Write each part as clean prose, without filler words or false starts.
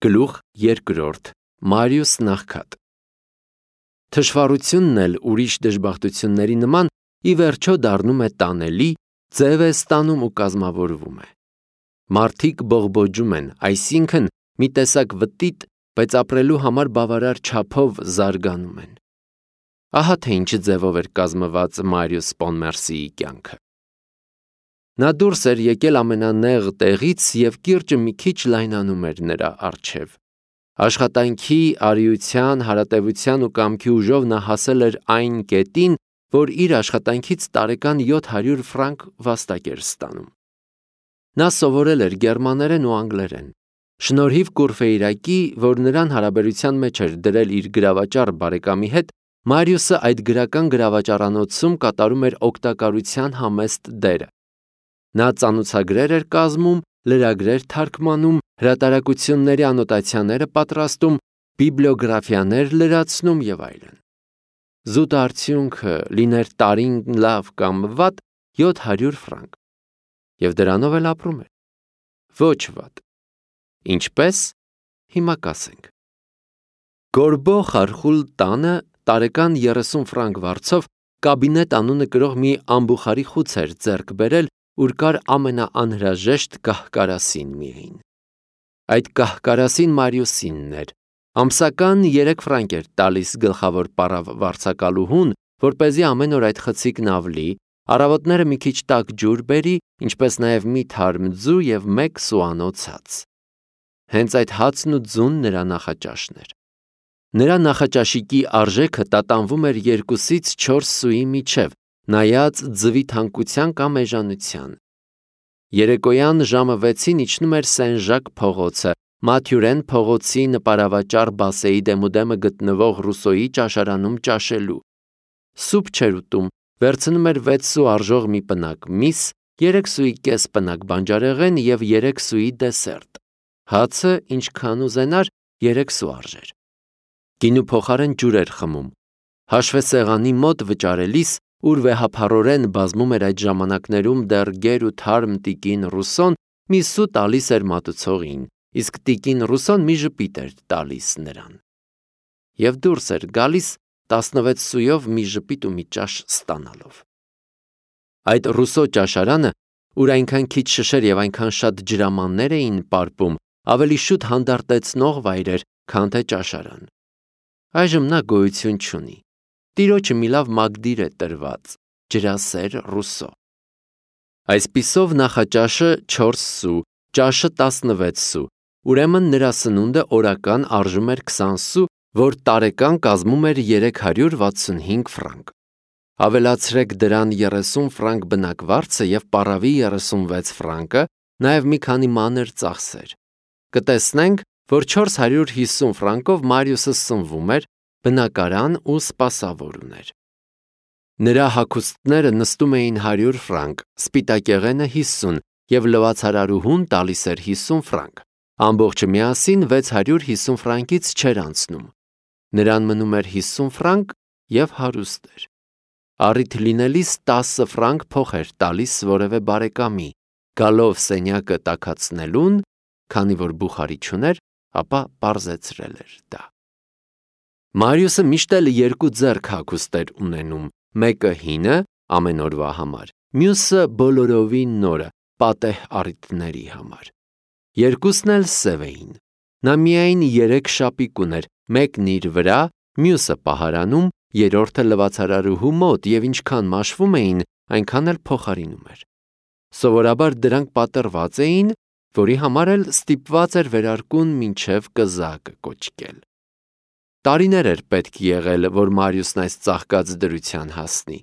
Գլուխ 2. Մարիուս Նախքատ Թշվառությունն էլ ուրիշ դժբախտությունների նման ի վերջո դառնում է տանելի, ձև է ստանում ու կազմավորվում է։ Մարդիկ բողբոջում են, այսինքն մի տեսակ վտիտ, բայց ապրելու համար բավարար չափով զարգանում են։ Ահա թե ինչ ձևով էր կազմված Մարիուս Պոնմերսիի կյանքը։ Նա դուրս էր եկել ամենանեղ տեղից և կիրճը մի քիչ լայնանում էր նրա առջև։ Աշխատանքի, արիության, հարատևության ու կամքի ուժով նա հասել էր այն կետին, որ իր աշխատանքից տարեկան 700 ֆրանկ վաստակ էր ստանում։ Նա սովորել էր գերմաներեն ու անգլերեն։ Շնորհիվ Կուրֆեյրակի, որ նրան հարաբերության մեջ էր դրել իր գրավաճառ բարեկամի հետ, Մարիուսը այդ գրական գրավաճառանոցում կատարում էր օգտակարության համեստ դերը։ Նա ծանուցագրեր էր կազմում, լրագրեր թարգմանում, հրատարակությունների անոտացիաները պատրաստում, բիբլիոգրաֆիաներ լրացնում եւ այլն։ Զուտ արդյունքը լիներ տարին լավ կամ վատ 700 ֆրանկ։ Եվ դրանով էլ ապրում էր։ Ոչ վատ։ Ինչպես։ Հիմա կասենք։ Գորբո Խարխուլ տանը տարեկան 30 ֆրանկ վարձով կաբինետ անունը կրող մի ամբուխարի խուց էր ձեռք բերել, ուր կար ամենաանհրաժեշտ կահ-կարասին միայն։ Այդ կահ-կարասին Մարիուսինն էր։ Ամսական 3 ֆրանկ էր տալիս գլխավոր պարավ վարձակալուհուն, որպեսզի ամեն օր այդ խցիկն ավլի, առավոտները մի քիչ տաք ջուր բերի, ինչպես նաև մի թարմ ձու և 1 սուանոց հաց։ Հենց այդ հացն ու ձուն նրա նախաճաշն էր։ Նրա նախաճաշիկի արժեքը տատանվում էր 2-ից 4 սուի միջև, նայած ձվի թանկության կամ էժանության։ Երեկոյան ժամը 6-ին իջնում էր Սեն-Ժակ փողոցը, Մաթյուրեն փողոցի նպարավաճառ Բասեի դեմուդեմը գտնվող Ռուսոյի ճաշարանում ճաշելու։ Սուպ չէր ուտում, վերցնում էր 6 սու արժող մի պնակ միս, 3 սուի կես պնակ բանջարեղեն և 3 սուի դեսերտ։ Հացը, ինչքան ուզենար, 3 սու արժեր։ Գինու փոխարեն ջուր էր խմում։ Հաշվեսեղանի մոտ վճարելիս, ուր վեհափառորեն բազմում էր այդ ժամանակներում դեռ գեր ու թարմ տիկին Ռուսոն, մի սու տալիս էր մատուցողին, իսկ տիկին Ռուսոն մի ժպիտ էր տալիս նրան։ Եվ դուրս էր գալիս 16 սույով մի ժպիտ ու մի ճաշ ստանալով։ Այդ Ռուսո ճաշարանը, ուր այնքան քիչ շշեր և այնքան շատ ջրամաններ էին պարպում, ավելի շուտ հանդարտեցնող վայր էր, քան թե ճաշարան։ Այժմ նա գոյություն չունի։ Տիրոջը մի լավ մագդիր է տրված, ջրասեր Ռուսո։ Այսպիսով նախաճաշը 4 սու, ճաշը 16 սու, ուրեմն նրա սնունդը օրական արժում էր 20 սու, որ տարեկան կազմում էր 365 ֆրանկ։ Ավելացրեք դրան 30 ֆրանկ բնակվարձը և պարավի 36 ֆրանկը, նաև մի քանի մանր ծախսեր։ Կտեսնենք, որ 450 ֆրանկով Մարիուսը սնվում էր, բնակարան ու սպասավոր ուներ։ Նրա հագուստները նստում էին 100 ֆրանկ, սպիտակեղենը 50 և լվացարարուհուն տալիս էր 50 ֆրանկ։ Ամբողջը միասին 650 ֆրանկից չէր անցնում։ Նրան մնում էր 50 ֆրանկ և հարուստ էր։ Առիթ լինելիս 10 ֆրանկ փող էր տալիս որևէ բարեկամի, գալով սենյակը տաքացնելուն, քանի որ բուխարի չուներ, ապա պարզեցրել էր դա։ Մարիուսը միշտ էլ 2 ձեռք հագուստ էր ունենում, մեկը հինը ամեն օրվա համար, մյուսը բոլորովին նորը, պատեհ առիթների համար։ Երկուսն էլ սև էին։ Նա միայն 3 շապիկ ուներ, մեկն իր վրա, մյուսը պահարանում, երրորդը լվացարարուհու մոտ և ինչքան մաշվում էին, այնքան էլ փոխարինում էր։ Սովորաբար դրանք պատռված էին, որի համար էլ ստիպված էր վերարկուն մինչև կզակը կոչկել։ Տարիներ էր պետք եղել, որ Մարիուսն այս ծաղկած դրության հասնի։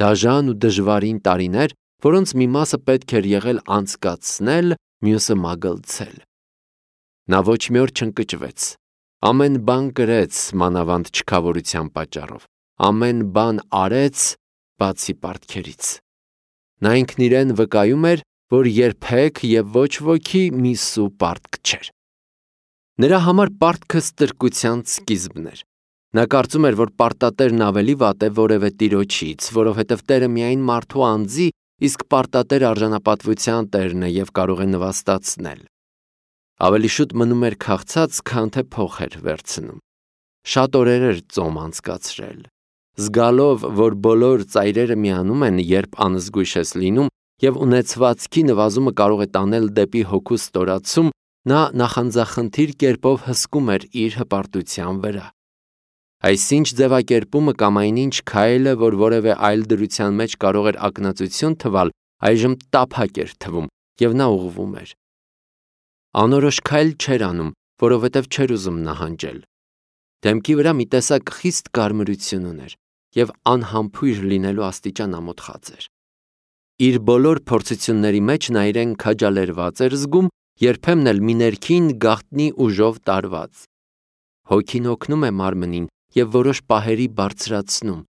Դաժան ու դժվարին տարիներ, որոնց մի մասը պետք էր եղել անցկացնել, մյուսը մագլցել։ Նա ոչ մի օր չընկճվեց։ Ամեն բան կրեց, մանավանդ չքավորության պատճառով։ Ամեն բան արեց, բացի պարտքերից։ Նա ինքն իրեն վկայում էր, որ երբեք և ոչ ոքի մի սու պարտք չէր։ Նրա համար պարտքը ստրկության սկիզբն էր։ Նա կարծում էր, որ պարտատերն ավելի վատ է որևէ տիրոջից, որովհետև տերը միայն մարդու անձի, իսկ պարտատերը արժանապատվության տերն է և կարող է նվաստացնել։ Ավելի շուտ մնում էր քաղցած, քան թե փող էր վերցնում։ Շատ օրեր էր ծոմ անցկացրել։ Զգալով, որ բոլոր ծայրերը միանում են, երբ անզգույշ ես լինում, եւ ունեցվածքի նվազումը կարող է տանել դեպի հոգու ստորացում, նա նախանձախնդիր կերպով հսկում էր իր հպարտության վրա։ Այսինչ ձևակերպումը կամ այնինչ քայլը, որ որևէ այլ դրության մեջ կարող էր ակնածություն թվալ, այժմ տափակ էր թվում, եւ նա ուղղվում էր։ Անորոշ քայլ չէր անում, որովհետև չէր ուզում նահանջել։ Դեմքի վրա մի տեսակ խիստ կարմրություն ուներ եւ անհամբույր լինելու աստիճան ամոթխած էր։ Իր բոլոր փորձությունների մեջ նա իրեն քաջալերված էր զգում, երբեմն էլ մի ներքին գաղտնի ուժով տարված։ Հոգին օգնում է մարմնին եւ որոշ պահերի բարձրացնում։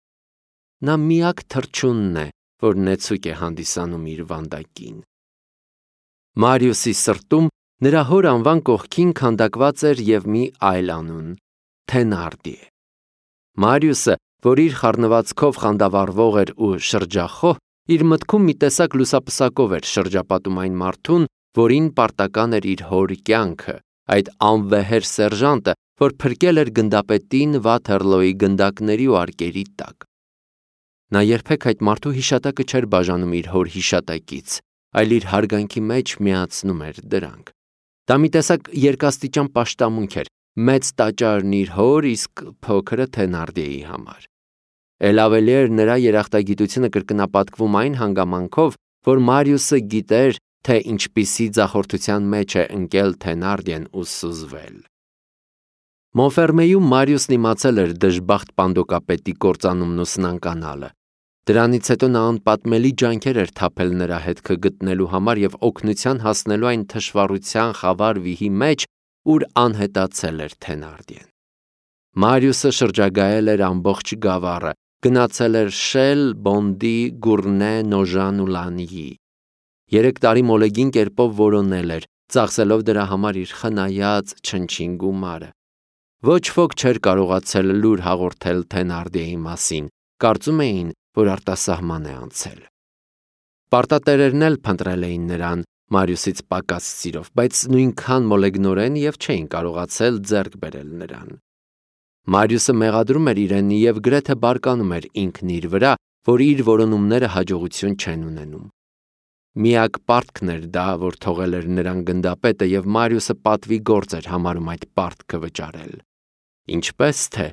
Նա միակ թռչունն է, որ նեցուկ է հանդիսանում իր վանդակին։ Մարիուսի սրտում նրա հոր անվան կողքին քանդակված էր եւ մի այլ անուն՝ Թենարդիե։ Մարիուսը, որ իր խառնվածքով խանդավառվող էր ու շրջախոհ, իր մտքում մի տեսակ լուսապսակով էր շրջապատում այն մարդուն, որին պարտական էր իր հոր կյանքը, այդ անվեհեր սերժանտը, որ փրկել էր գնդապետին Վաթերլոյի գնդակների ու արկերի տակ։ Նա երբեք այդ մարդու հիշատակը չէր բաժանում իր հոր հիշատակից, այլ իր հարգանքի մեջ միացնում էր դրանք։ Դա մի տեսակ երկաստիճան պաշտամունք էր, մեծ տաճարն իր հոր, իսկ փոքրը Թենարդիեի համար։ Էլ ավելի էր նրա երախտագիտությունը կրկնապատկվում այն հանգամանքով, որ Մարիուսը գիտեր, թե ինչպիսի ձախորդության մեջ է ընկել Թենարդիեն ու սուզվել։ Մոնֆերմեյում Մարիուսն իմացել էր դժբախտ պանդոկապետի կործանումն ու սնանկանալը։ Դրանից հետո նա անպատմելի ջանքեր էր թափել նրա հետքը գտնելու համար եւ օգնության հասնելու այն թշվառության խավար վիհի մեջ, ուր անհետացել էր Թենարդիեն։ Մարիուսը շրջագայել էր ամբողջ գավառը, գնացել էր Շել, Բոնդի, Գուրնե, Նոժան ու Լանիի։ 3 տարի մոլեգին կերպով որոնել էր, ծախսելով դրա համար իր խնայած չնչին գումարը։ Ոչ ոք չէր կարողացել լուր հաղորդել Թենարդիեի մասին, կարծում էին, որ արտասահման է անցել։ Պարտատերերն էլ փնտրել էին նրան Մարիուսից պակաս սիրով, բայց նույնքան մոլեգնորեն եւ չէին կարողացել ձեռք բերել նրան։ Մարիուսը մեղադրում էր իրեն եւ գրեթե բարկանում էր ինքն իր վրա, որ իր որոնումները հաջողություն չեն ունենում։ Միակ պարտքն էր դա, որ թողել էր նրան գնդապետը եւ Մարիուսը պատվի գործ էր համարում այդ պարտքը վճարել։ Ինչպես թե,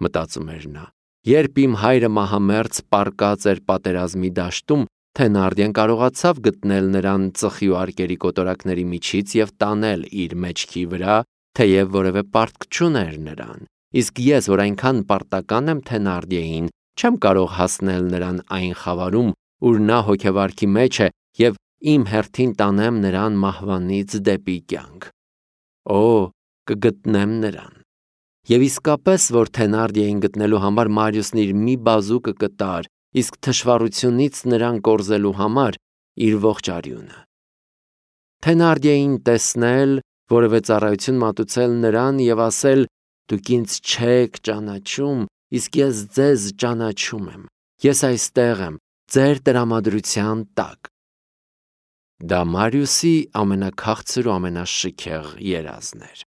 մտածում էր նա, երբ իմ հայրը մահամերձ պառկած էր պատերազմի դաշտում, Թենարդիեն կարողացավ գտնել նրան ծխի ու արկերի կոտորակների միջից եւ տանել իր մեջքի վրա, թեև որևէ պարտք չուներ նրան, իսկ ես, որ այնքան պարտական եմ Թենարդիեին, չեմ կարող հասնել նրան այն խավարում, ուր նա հոգեվարքի մեջ է եւ իմ հերթին տանեմ նրան մահվանից դեպի կյանք։ Օ, կգտնեմ նրան։ Եվ իսկապես, որ Թենարդիեին գտնելու համար Մարիուսն իր մի բազուկը կտար, իսկ թշվառությունից նրան կորզելու համար իր ողջ արյունը։ Թենարդիեին տեսնել, որևէ ծառայություն մատուցել նրան եւ ասել. «Դուք ինձ չեք ճանաչում, իսկ ես ձեզ ճանաչում եմ։ Ես այստեղ եմ, ձեր տրամադրության տակ»։ Դա Մարիուսի ամենաքաղցր ու ամենաշքեղ երազն էր։